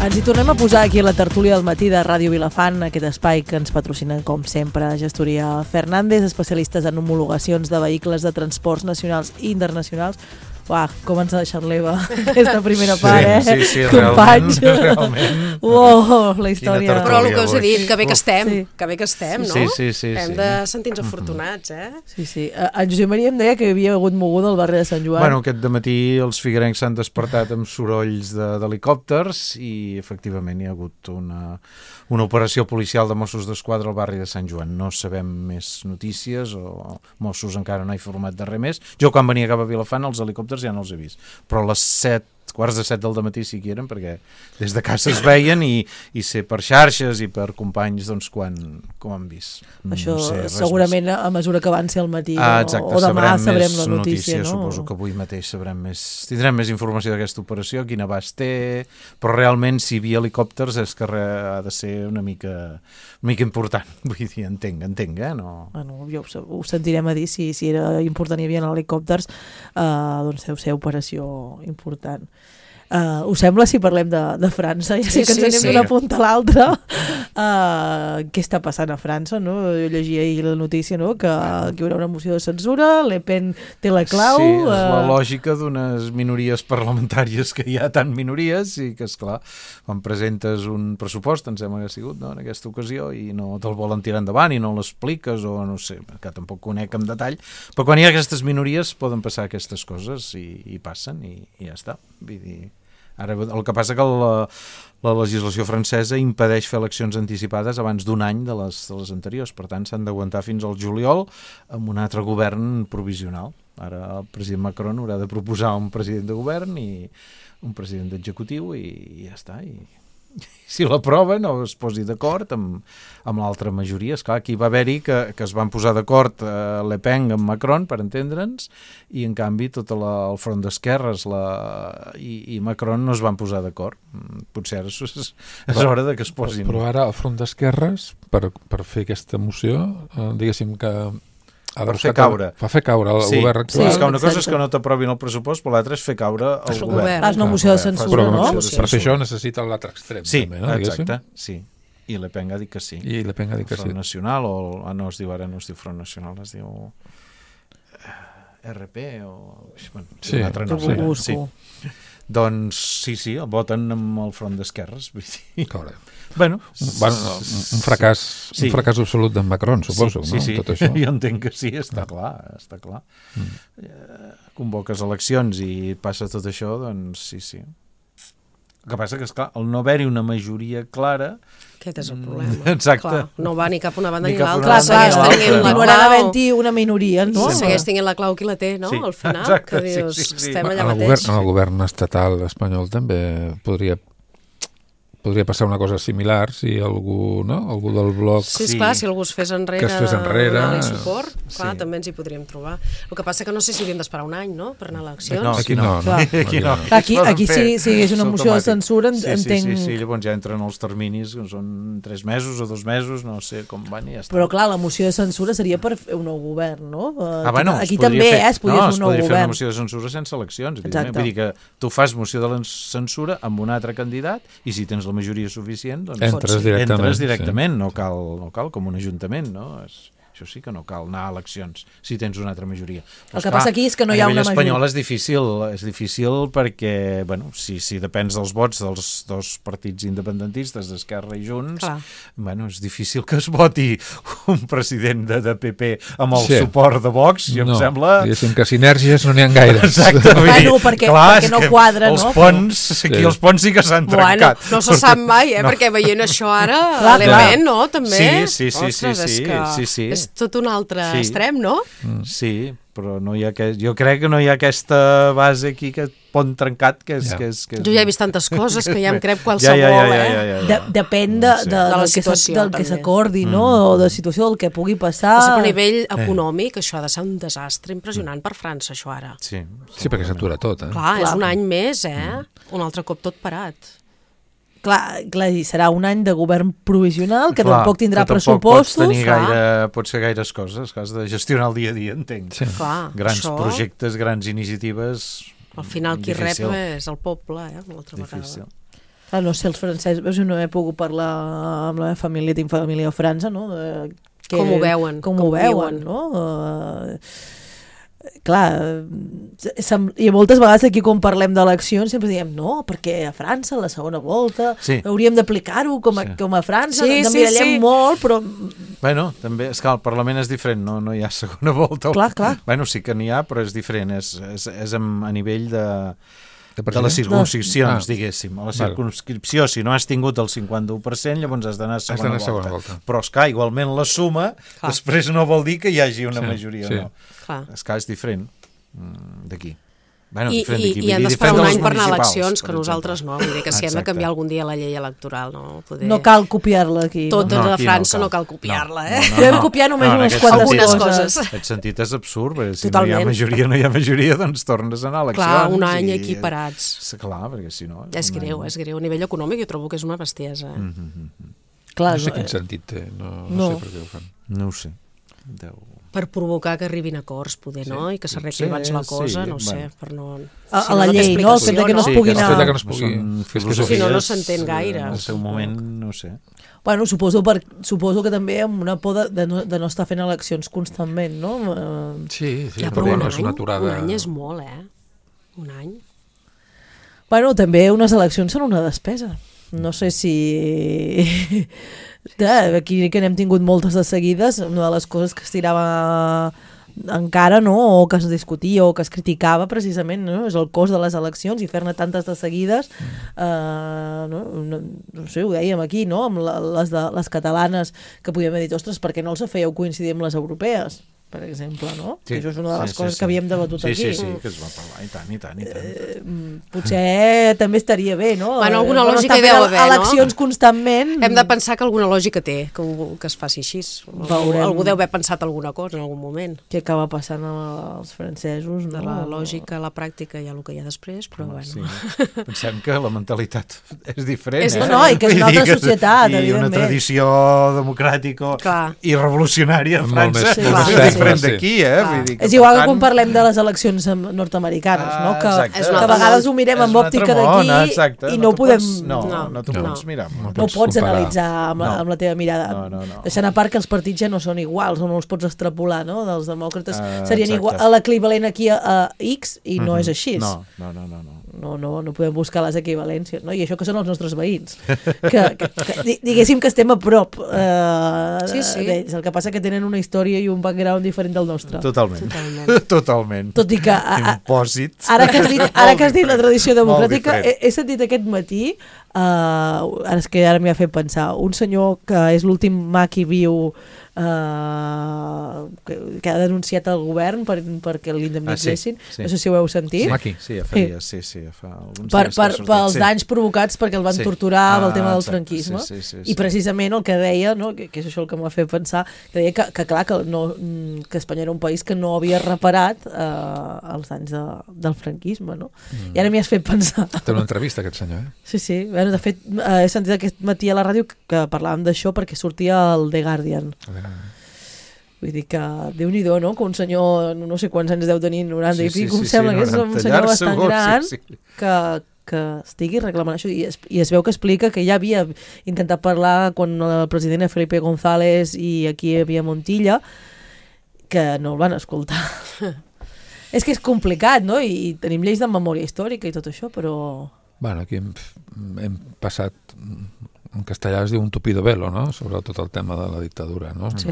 Ens hi tornem a posar aquí a la tertúlia del matí de Ràdio Vilafant, aquest espai que ens patrocina, com sempre, Gestoria Fernández, especialistes en homologacions de vehicles de transports nacionals i internacionals. Uah, com ens ha deixat l'Eva aquesta primera part, Sí, companys. realment. Uau, la història. Però el que us he dit, que bé que estem, que bé que estem, no? Sí. Hem de sentir-nos afortunats, Sí. En Josep Maria em deia que hi havia hagut moguda al barri de Sant Joan. Bueno, aquest dematí els figuerencs s'han despertat amb sorolls d'helicòpters i efectivament hi ha hagut una operació policial de Mossos d'Esquadra al barri de Sant Joan. No sabem més notícies o Mossos encara no ha informat de res més. Jo quan venia cap a Vilafant els helicòpters ja no els he vist, però a les 7:45 del dematí sí que hi eren, perquè des de casa es veien i sé per xarxes i per companys doncs quan han vist. Això segurament a mesura que avanci el matí o demà sabrem la notícia, no? Suposo que avui mateix tindrem més informació d'aquesta operació, quin abast té, però realment si hi havia helicòpters és que ha de ser una mica important, vull dir, entenc, no? Bueno, ja ho sentirem a dir, si era important i hi havia helicòpters, doncs deu ser operació important. Us sembla si parlem de França? Ja sé que ens anem d'una punta a l'altra. Què està passant a França, no? Jo llegia ahir la notícia, no?, que hi haurà una moció de censura, Le Pen té la clau... Sí, és la lògica d'unes minories parlamentàries que hi ha tant minories i que, esclar, quan presentes un pressupost, em sembla que ha sigut, no?, en aquesta ocasió, i no te'l volen tirar endavant i no l'expliques, o no sé, que tampoc conec en detall, però quan hi ha aquestes minories poden passar aquestes coses i passen i ja està. Vull dir, ara el que passa que la legislació francesa impedeix fer eleccions anticipades abans d'un any de les anteriors, per tant s'han d'aguantar fins al juliol amb un altre govern provisional. Ara el president Macron haurà de proposar un president de govern i un president d'executiu i ja està, i si l'aproven o es posi d'acord amb l'altra majoria. Esclar, aquí va haver-hi que es van posar d'acord Le Pen amb Macron, per entendre'ns, i en canvi tot el front d'esquerres i Macron no es van posar d'acord. Potser és hora de que es posin. Però ara el front d'esquerres, per fer aquesta moció, diguéssim que per fer caure. Per fer caure el govern actual. Sí, és que una cosa és que no t'aprovin el pressupost, però l'altra és fer caure el govern. Fas una moció de censura, no? Per fer això necessita l'altre extrem. Sí, també, no? Exacte, sí. I Le Pen ha dit que sí. I Le Pen ha dit que sí. Front Nacional, no es diu Front Nacional, es diu RP o... Bueno, sí, un altre nom. Sí. Doncs sí, voten amb el front d'esquerres. Correcte. Bueno, un fracàs absolut d'en Macron, suposo, sí, no? Tot això. Jo entenc que sí, està clar. Convoques eleccions i passa tot això, doncs sí. El que passa que, esclar, el no haver-hi una majoria clara... Aquest és el problema. Exacte. Clar, no va ni cap una banda ni Clar, l'altra. Segueix tenint la continuarà clau. havent-hi una minoria, no? Segueix tenint la clau qui la té, no? Sí, al final, exacte, que dius, sí. estem allà mateix. En el govern estatal espanyol també podria passar una cosa similar si algú del bloc... Sí, esclar, si algú es fes enrere, donar-li suport, clar, també ens hi podríem trobar. El que passa que no sé si hauríem d'esperar un any, no?, per anar a eleccions. No, aquí no. Aquí si hi hagués una moció de censura, entenc... Sí, llavors ja entren els terminis, que són 3 mesos o 2 mesos, no sé com van i ja està. Però clar, la moció de censura seria per fer un nou govern, no? Aquí es també es podria fer un nou fer govern. una moció de censura sense eleccions. Vull dir que tu fas moció de censura amb un altre candidat i si tens la majoria suficient, doncs entres directament, no cal com un ajuntament, no? Això sí que no cal anar a eleccions si tens una altra majoria. Però el que passa aquí és que no hi ha una majoria. A nivell espanyol és difícil perquè, bueno, si depens dels vots dels dos partits independentistes, d'Esquerra i Junts, bueno, és difícil que es voti un president de PP amb el suport de Vox, i em sembla... Diguéssim que sinergies no n'hi ha gaires. Exacte. Bueno, perquè no quadra, no? Els ponts sí que s'han trencat. No se sap mai, perquè veient això ara, l'element, no? També. Sí. És tot un altre extrem, no? Sí, però no hi ha jo crec que no hi ha aquesta base aquí, aquest pont trencat que és... Jo ja he vist tantes coses que ja em crec qualsevol, Depèn del que s'acordi, no? O de la situació del que pugui passar. A nivell econòmic, això ha de ser un desastre impressionant per França, això ara. Sí, perquè s'atura tot, Clar, és un any més, un altre cop tot parat. Clar, serà un any de govern provisional, que tampoc tindrà pressupostos. Pots fer gaires coses, has de gestionar el dia a dia, entenc. Grans projectes, grans iniciatives... Al final qui rep és el poble, una altra vegada. No sé, els francesos, no he pogut parlar amb la meva família, tinc família a França, no? Com ho veuen. Com ho veuen, no? Clar, i moltes vegades aquí quan parlem d'eleccions sempre diem no, perquè a França la segona volta hauríem d'aplicar-ho com a França, ens emmirallem molt, però... Bueno, també, és que el Parlament és diferent, no hi ha segona volta. Clar. Bueno, sí que n'hi ha, però és diferent, és a nivell de les circumscripcions, diguéssim. A la circumscripció, si no has tingut el 51%, llavors has d'anar a segona volta. Però, esclar, igualment la suma després no vol dir que hi hagi una majoria o no. Esclar, és diferent d'aquí. I han d'esperar un any per anar a eleccions, que nosaltres no. Vull dir que si hem de canviar algun dia la llei electoral, no? No cal copiar-la aquí. Tota la França no cal copiar-la, Podem copiar només unes quantes coses. Aquest sentit és absurd, perquè si no hi ha majoria, doncs tornes a anar a eleccions. Clar, un any equiparats. Clar, perquè si no... És greu. A nivell econòmic jo trobo que és una bestiesa. No sé quin sentit té, no sé per què ho fan. No ho sé. Per provocar que arribin acords, poder, no? I que s'arregli abans la cosa, no sé, per no... A la llei, no? El fet que no es pugui anar... El fet que no es pugui... Si no s'entén gaire. En el seu moment, no sé. Bueno, suposo que també amb una por de no estar fent eleccions constantment, no? Sí, però un any és molt, Un any. Bueno, també unes eleccions són una despesa. No sé si... Aquí que n'hem tingut moltes de seguides, una de les coses que es tirava encara, no? O que es discutia o que es criticava precisament, no? És el cost de les eleccions i fer-ne tantes de seguides, no sé, ho dèiem aquí, no? Amb les catalanes, que podíem haver dit, ostres, per què no els fèieu coincidir amb les europees? Per exemple, no? Sí, això és una de les coses que havíem debatut aquí. Sí, que es va parlar, i tant. Potser també estaria bé, no? Bueno, alguna lògica hi deu haver, no? Eleccions constantment... Hem de pensar que alguna lògica té, que es faci així. Algú deu haver pensat alguna cosa en algun moment. Què acaba passant amb els francesos, no? De la lògica a la pràctica hi ha el que hi ha després, però bueno... Sí. Pensem que la mentalitat és diferent, No, i que és una altra societat, evidentment. I una tradició democràtica i revolucionària a França d'aquí, és igual que quan parlem de les eleccions nord-americanes, no? Que a vegades ho mirem amb òptica d'aquí i no ho podem... No t'ho pots mirar. No pots analitzar amb la teva mirada. Deixant a part que els partits ja no són iguals, o no els pots extrapolar, no? Dels demòcrates serien l'equivalent aquí a X i no és així. No podem buscar les equivalències, no? I això que són els nostres veïns, que diguéssim que estem a prop d'ells. El que passa que tenen una història i un background diferent del nostre. Totalment. Tot i que ara que has dit la tradició democràtica, he sentit aquest matí, ara m'hi ha fet pensar, un senyor que és l'últim maqui viu que ha denunciat el govern perquè l'indemnitzessin, no sé si ho heu sentit. Sí, fa alguns dies pels danys provocats perquè el van torturar amb el tema del franquisme, i precisament el que deia, que és això el que m'ha fet pensar, que deia que clar, que Espanya era un país que no havia reparat els danys del franquisme, no? I ara m'hi has fet pensar. Té una entrevista aquest senyor, Sí, bueno, de fet he sentit aquest matí a la ràdio que parlàvem d'això perquè sortia el The Guardian. Vull dir que Déu-n'hi-do, no? Que un senyor, no sé quants anys deu tenir, 90 i pico, em sembla que és un senyor bastant gran que estigui reclamant això, i es veu que explica que ja havia intentat parlar quan el president era Felipe González i aquí hi havia Montilla, que no el van escoltar. És que és complicat, no? I tenim lleis de memòria històrica i tot això, però... Bueno, aquí hem passat, en castellà es diu un tupido velo, no? Sobre tot el tema de la dictadura, no? Sí.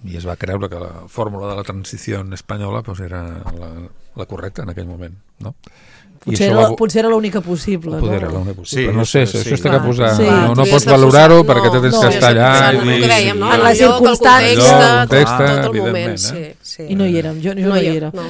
I es va creure que la fórmula de la transició espanyola pues, era la correcta en aquell moment, no? Potser era l'única possible. Potser era l'única possible. Sí, no sé, això es té que posar... Sí. No pots valorar-ho perquè te tens que estar allà. El que dèiem, no? En les circumstàncies. Tot el moment, sí. I no hi érem, jo no hi era. No,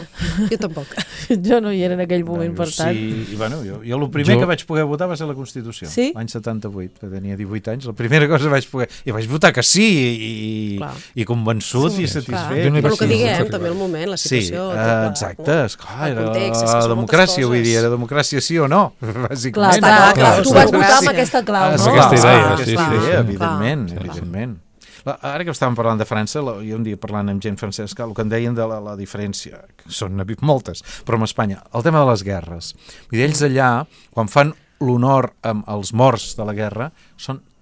jo tampoc. Jo no hi era en aquell moment, per tant. Sí, bueno, jo el primer que vaig poder votar va ser la Constitució, l'any 78, que tenia 18 anys, la primera cosa vaig poder... I vaig votar que sí, i convençut i satisfet. Però el que diguem, també el moment, la situació... Sí, exacte, esclar, era la democràcia, vull dir, era democràcia sí o no, bàsicament. Clar, tu vas votar amb aquesta clau, no? Aquesta idea, evidentment. Ara que estàvem parlant de França, jo un dia parlant amb gent francesa, el que em deien de la diferència, que són moltes, però amb Espanya, el tema de les guerres. I ells allà, quan fan l'honor amb els morts de la guerra,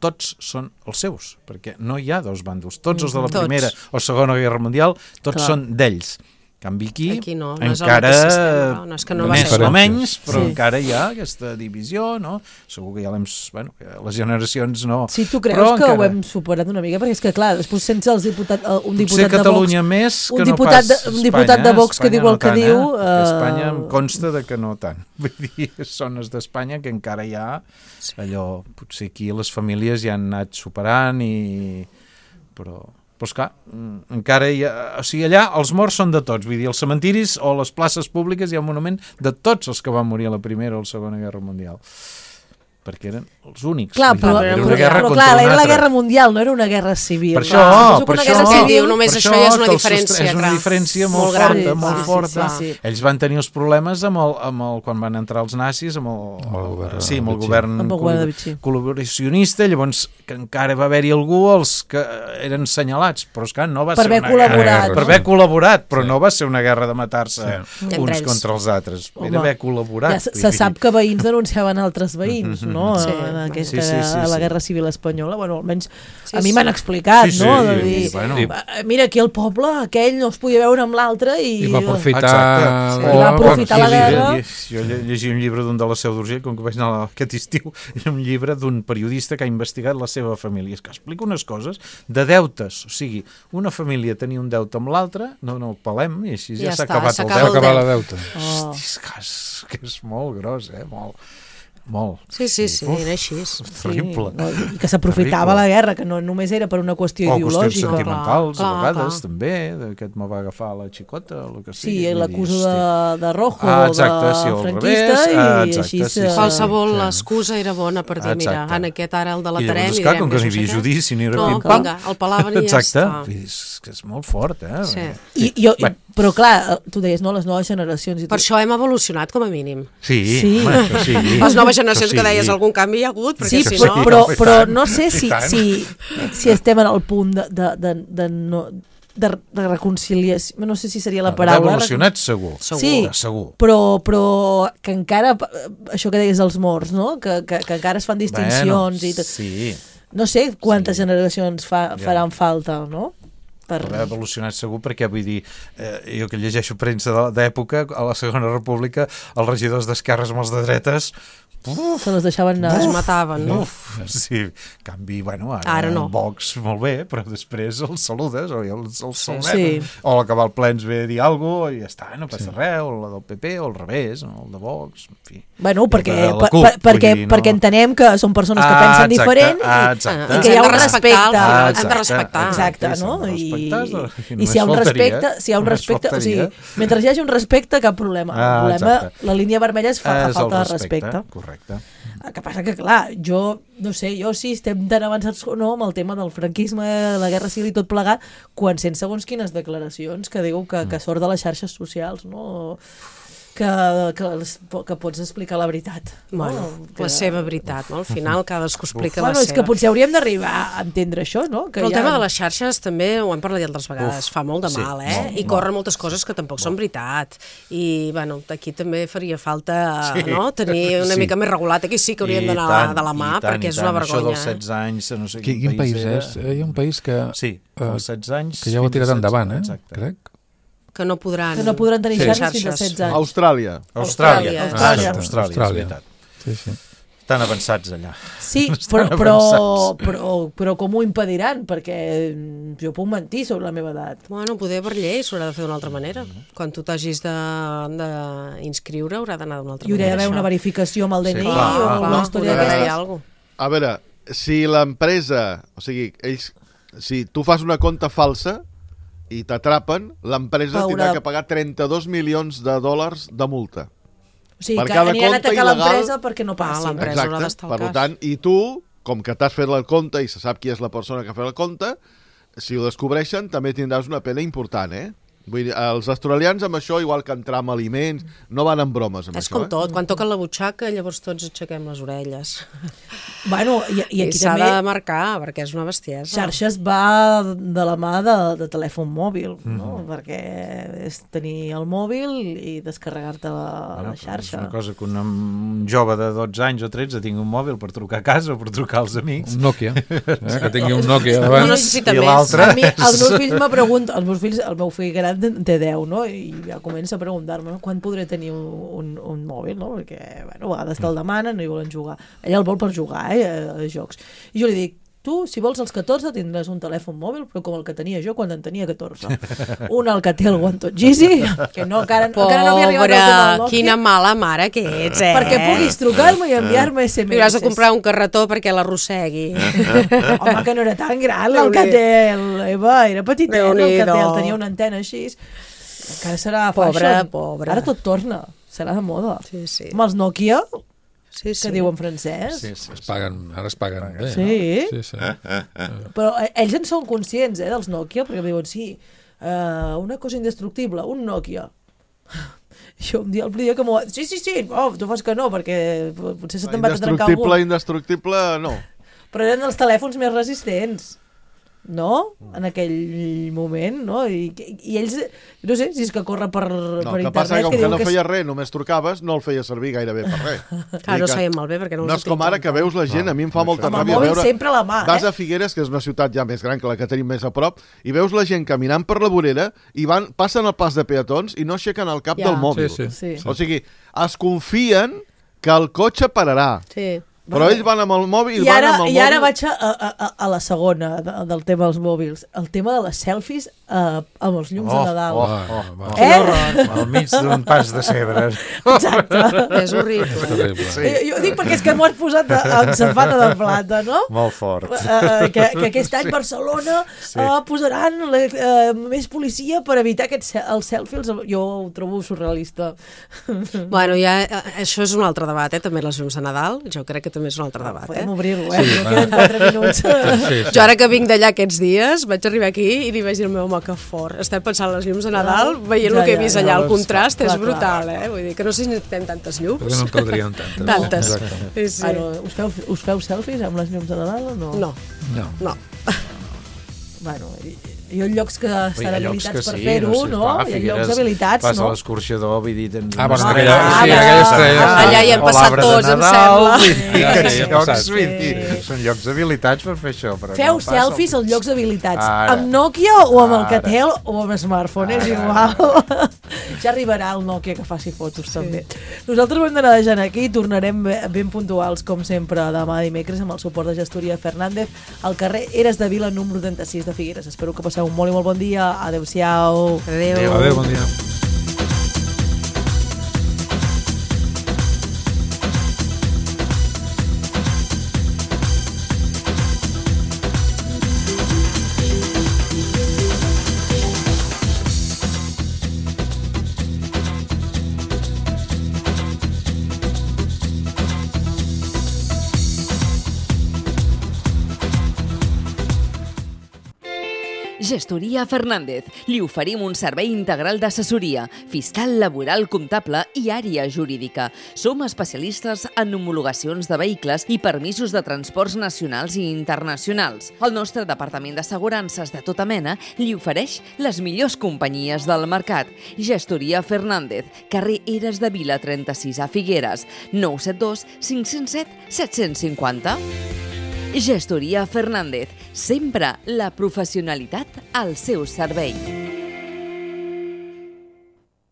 tots són els seus, perquè no hi ha dos bàndols. Tots els de la Primera o Segona Guerra Mundial, tots són d'ells. En canvi aquí no encara és que no més o menys, però encara hi ha aquesta divisió, no? Segur que ja les generacions no... Sí, tu creus que ho hem superat una mica? Perquè és que clar, després sense un diputat de Vox... Potser Catalunya més que no pas Espanya. Un diputat de Vox que diu el que diu... Espanya em consta que no tant. Vull dir, zones d'Espanya que encara hi ha allò... Potser aquí les famílies ja han anat superant però esclar, encara hi ha... O sigui, allà els morts són de tots. Vull dir, els cementiris o les places públiques hi ha un monument de tots els que van morir a la Primera o la Segona Guerra Mundial. perquè eren els únics. Clar, però era la guerra mundial, no era una guerra civil. Per això, només això ja és una diferència. És una diferència molt forta. Ells van tenir els problemes quan van entrar els nazis, amb el govern col·laboracionista, llavors que encara va haver-hi algú els que eren assenyalats, però és que no va ser una guerra. Per haver col·laborat, però no va ser una guerra de matar-se uns contra els altres. Era haver col·laborat. Se sap que veïns denunciaven altres veïns, no? A la Guerra Civil Espanyola. Bueno, almenys a mi m'han explicat, no? De dir, mira, aquí el poble, aquell no es podia veure amb l'altre i va aprofitar la guerra. Jo llegia un llibre d'un de la Seu d'Urgell, com que vaig anar aquest estiu, era un llibre d'un periodista que ha investigat la seva família. És que explica unes coses de deutes. O sigui, una família tenia un deute amb l'altra, no el pelem, i així ja s'ha acabat el deute. S'ha acabat la deuta. Hosti, que és molt gros, molt. Sí, era així. Terrible. I que s'aprofitava la guerra, que no només era per una qüestió ideològica. O qüestions sentimentals, a vegades, també, que me va agafar la xicota, el que sigui. Sí, l'acuso de rojo, de franquista, i així... Qualsevol excusa era bona per dir, mira, en aquest ara el delatarem... I llavors, com que no hi havia judici, ni era pim-pam... No, vinga, el palaven i ja està. Exacte, és molt fort, Però clar, tu deies, no, les noves generacions... Per això hem evolucionat, com a mínim. Sí. Les noves generacions que deies algun canvi hi ha hagut, perquè si no... Però no sé si estem en el punt de reconciliació, no sé si seria la paraula. D'evolucionat segur. Sí, però que encara, això que deies dels morts, no? Que encara es fan distincions i tot. Sí. No sé quantes generacions faran falta, no? Per haver evolucionat segur, perquè vull dir, jo que llegeixo premsa d'època, a la Segona República, els regidors d'esquerres amb els de dretes se les deixaven anar. Es mataven, no? Sí, en canvi, ara no. Vox molt bé, però després els saludes o els saludem, o a l'acabar el ple ens ve a dir alguna cosa i ja està, no passa res, o la del PP o al revés, o el de Vox, en fi. Bueno, perquè entenem que són persones que pensen diferent i que hi ha un respecte. Hem de respectar. Exacte, no? I si hi ha un respecte, o sigui, mentre hi hagi un respecte, cap problema. El problema, la línia vermella és falta de respecte. Correcte. El que passa que, clar, jo no sé, si estem tan avançats o no amb el tema del franquisme, la guerra civil i tot plegat, quan sent segons quines declaracions que diu que sort de les xarxes socials, no? Que pots explicar la veritat. Bueno, la seva veritat, no? Al final cadascú explica la seva. És que potser hauríem d'arribar a entendre això, no? Però el tema de les xarxes també, ho hem parlat altres vegades, fa molt de mal, i corren moltes coses que tampoc són veritat. I, bueno, aquí també faria falta tenir una mica més regulat. Aquí sí que hauríem d'anar de la mà, perquè és una vergonya. Això dels 16 anys, no sé quin país és. Hi ha un país que ja ho ha tirat endavant, crec. Que no podran tenir xarxes fins a 16 anys. Austràlia, és veritat. Sí. Estan avançats allà. Sí, però com ho impediran? Perquè jo puc mentir sobre la meva edat. Bueno, poder per llei s'haurà de fer d'una altra manera. Quan tu t'hagis d'inscriure haurà d'anar d'una altra manera. I haurà d'haver una verificació amb el DNI o una història d'aquestes. A veure, si l'empresa, o sigui, si tu fas una compta falsa i t'atrapen, l'empresa tindrà que pagar 32 milions de dòlars de multa. O sigui, que aniran a atacar l'empresa perquè no passi. Exacte, per tant, i tu, com que t'has fet el compte i se sap qui és la persona que ha fet el compte, si ho descobreixen també tindràs una pena important, Vull dir, els australians amb això, igual que entrar amb aliments, no van amb bromes amb això. És com tot, quan toquen la butxaca llavors tots aixequem les orelles. Bueno, i aquí s'ha també... de marcar, perquè és una bestiesa. Xarxes va de la mà de telèfon mòbil, no? Perquè és tenir el mòbil i descarregar-te la xarxa. És una cosa que un jove de 12 anys o 13 tingui un mòbil per trucar a casa o per trucar als amics. Un Nokia, que tingui un Nokia abans. No necessita més. A mi, els meus fills me pregunten, el meu fill gran té 10, no? I ja comença a preguntar-me, no? Quan podré tenir un mòbil, no? Perquè, bueno, a vegades te'l demanen i volen jugar. Ella el vol per jugar, a jocs. I jo li dic, tu, si vols als 14, tindràs un telèfon mòbil, però com el que tenia jo quan en tenia 14. Un el que té el One Touch Easy, que no, encara no havia arribat al Nokia. Quina mala mare que ets, Perquè puguis trucar-me i enviar-me SMS. I has de comprar un carretó perquè l'arrossegui. Home, que no era tan gran el que té l'Eva, era petitet, el que té, tenia una antena així. Encara serà fashion. Pobre. Ara tot torna, serà de moda. Sí. Amb els Nokia... Sí. Que diu en francès. Sí. Ara es paguen bé. Sí? Sí. Però ells en són conscients, dels Nokia, perquè diuen, sí, una cosa indestructible, un Nokia. Jo un dia el primer dia que m'ho... Sí, tu fas que no, perquè potser se te'n va trencar algú. Indestructible, no. Però eren els telèfons més resistents, no? En aquell moment, no? I ells, no sé, si és que corre per internet... El que passa que com que no feia res, només trucaves, no el feia servir gairebé per res. Clar, no sabien malbé perquè no els no és com ara que veus la gent, a mi em fa molta ràbia veure... sempre a la mà, Vas a Figueres, que és una ciutat ja més gran que la que tenim més a prop, i veus la gent caminant per la vorera i passen el pas de peatons i no aixequen el cap del mòbil. Sí. O sigui, es confien que el cotxe pararà. Sí. Però ells van amb el mòbil I ara vaig a la segona del tema dels mòbils. El tema de les selfies amb els llums de Nadal. Al mig d'un pas de cebre. Exacte. És horrible. Jo dic perquè és que m'ho has posat en safata de plata, no? Molt fort. Que aquest any Barcelona posaran més policia per evitar els selfies. Jo ho trobo surrealista. Bueno, això és un altre debat, també les llums de Nadal. Jo crec que també és un altre debat. Podem obrir-lo, queden 4 minuts. Jo ara que vinc d'allà aquests dies, vaig arribar aquí i li vaig dir al meu home que fort. Estem pensant les llums de Nadal, veient el que he vist allà, el contrast és brutal, Vull dir que no sé si necessitem tantes llums. Però no en caldrien tantes. Us feu selfies amb les llums de Nadal o no? No. Bueno, hi ha llocs que estan habilitats per fer-ho, no? Hi ha llocs habilitats, no? Vas a l'escorxador, vull dir... aquella estrella. Allà hi hem passat tots, em sembla. Són llocs habilitats per fer això. Feu selfies als llocs habilitats. Amb Nokia o amb Alcatel o amb smartphone, és igual. Ja arribarà el Nokia que faci fotos, també. Nosaltres ho hem d'anar deixant aquí, tornarem ben puntuals, com sempre, demà dimecres, amb el suport de Gestoria Fernández, al carrer Eres de Vila, número 36 de Figueres. Espero que passeu un molt i molt bon dia. Adéu-siau. Adéu, bon dia. Gestoria Fernández. Li oferim un servei integral d'assessoria, fiscal, laboral, comptable i àrea jurídica. Som especialistes en homologacions de vehicles i permisos de transports nacionals i internacionals. El nostre departament d'assegurances de tota mena li ofereix les millors companyies del mercat. Gestoria Fernández, carrer Eres de Vila 36 a Figueres, 972 507 750. Gestoria Fernández, sempre la professionalitat al seu servei.